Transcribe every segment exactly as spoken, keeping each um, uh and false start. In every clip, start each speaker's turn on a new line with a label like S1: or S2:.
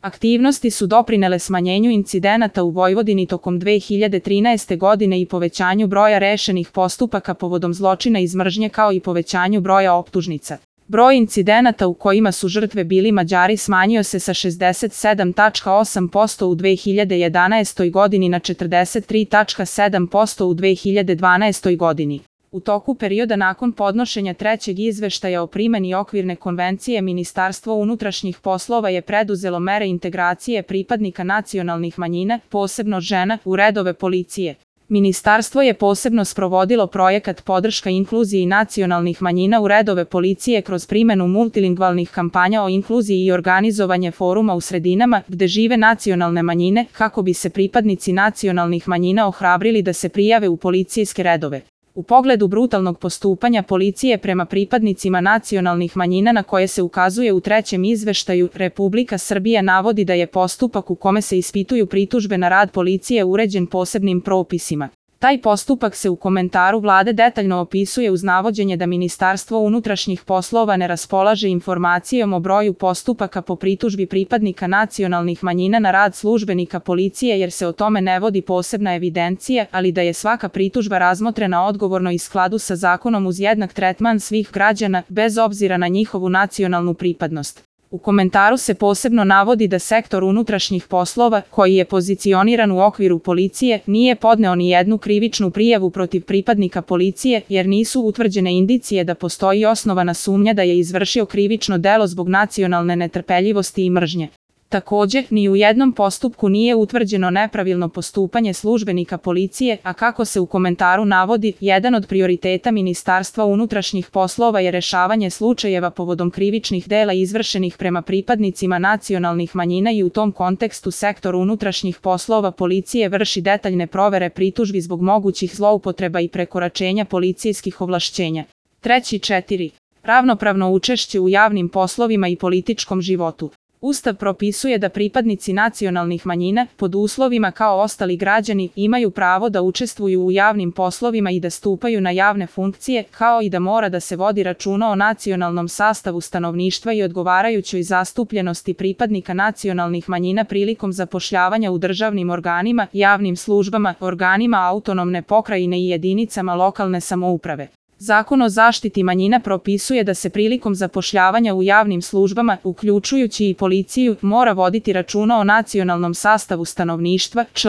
S1: Aktivnosti su doprinele smanjenju incidenata u Vojvodini tokom dve hiljade trinaeste godine i povećanju broja rešenih postupaka povodom zločina iz mržnje kao i povećanju broja optužnica. Broj incidenata u kojima su žrtve bili Mađari smanjio se sa šezdeset sedam zarez osam posto u dve hiljade jedanaestoj godini na četrdeset tri zarez sedam posto u dve hiljade dvanaestoj godini. U toku perioda nakon podnošenja trećeg izveštaja o primeni okvirne konvencije Ministarstvo unutrašnjih poslova je preduzelo mere integracije pripadnika nacionalnih manjina, posebno žena, u redove policije. Ministarstvo je posebno sprovodilo projekat podrška inkluziji nacionalnih manjina u redove policije kroz primenu multilingvalnih kampanja o inkluziji i organizovanje foruma u sredinama gde žive nacionalne manjine kako bi se pripadnici nacionalnih manjina ohrabrili da se prijave u policijske redove. U pogledu brutalnog postupanja policije prema pripadnicima nacionalnih manjina na koje se ukazuje u trećem izveštaju, Republika Srbija navodi da je postupak u kome se ispituju pritužbe na rad policije uređen posebnim propisima. Taj postupak se u komentaru Vlade detaljno opisuje uz navođenje da Ministarstvo unutrašnjih poslova ne raspolaže informacijom o broju postupaka po pritužbi pripadnika nacionalnih manjina na rad službenika policije jer se o tome ne vodi posebna evidencija, ali da je svaka pritužba razmotrena odgovorno i skladu sa zakonom uz jednak tretman svih građana, bez obzira na njihovu nacionalnu pripadnost. U komentaru se posebno navodi da sektor unutrašnjih poslova, koji je pozicioniran u okviru policije, nije podneo ni jednu krivičnu prijavu protiv pripadnika policije jer nisu utvrđene indicije da postoji osnovana sumnja da je izvršio krivično delo zbog nacionalne netrpeljivosti i mržnje. Takođe, ni u jednom postupku nije utvrđeno nepravilno postupanje službenika policije, a kako se u komentaru navodi, jedan od prioriteta Ministarstva unutrašnjih poslova je rešavanje slučajeva povodom krivičnih dela izvršenih prema pripadnicima nacionalnih manjina i u tom kontekstu sektor unutrašnjih poslova policije vrši detaljne provere pritužbi zbog mogućih zloupotreba i prekoračenja policijskih ovlašćenja. Treći četiri. Ravnopravno učešće u javnim poslovima i političkom životu. Ustav propisuje da pripadnici nacionalnih manjina, pod uslovima kao ostali građani, imaju pravo da učestvuju u javnim poslovima i da stupaju na javne funkcije, kao i da mora da se vodi računa o nacionalnom sastavu stanovništva i odgovarajućoj zastupljenosti pripadnika nacionalnih manjina prilikom zapošljavanja u državnim organima, javnim službama, organima autonomne pokrajine i jedinicama lokalne samouprave. Zakon o zaštiti manjina propisuje da se prilikom zapošljavanja u javnim službama, uključujući i policiju, mora voditi računa o nacionalnom sastavu stanovništva, čl.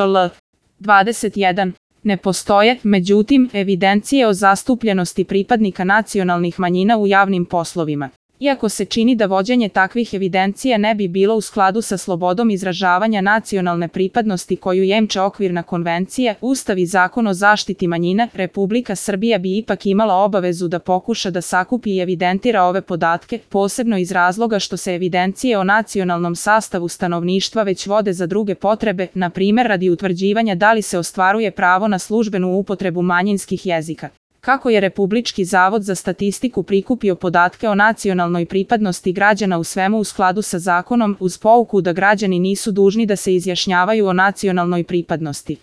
S1: dvadeset jedan. Ne postoje, međutim, evidencije o zastupljenosti pripadnika nacionalnih manjina u javnim poslovima. Iako se čini da vođenje takvih evidencija ne bi bilo u skladu sa slobodom izražavanja nacionalne pripadnosti koju jemče okvirna konvencija, Ustav i Zakon o zaštiti manjina, Republika Srbija bi ipak imala obavezu da pokuša da sakupi i evidentira ove podatke, posebno iz razloga što se evidencije o nacionalnom sastavu stanovništva već vode za druge potrebe, na primer radi utvrđivanja da li se ostvaruje pravo na službenu upotrebu manjinskih jezika. Kako je Republički zavod za statistiku prikupio podatke o nacionalnoj pripadnosti građana u svemu u skladu sa zakonom, uz pouku da građani nisu dužni da se izjašnjavaju o nacionalnoj pripadnosti.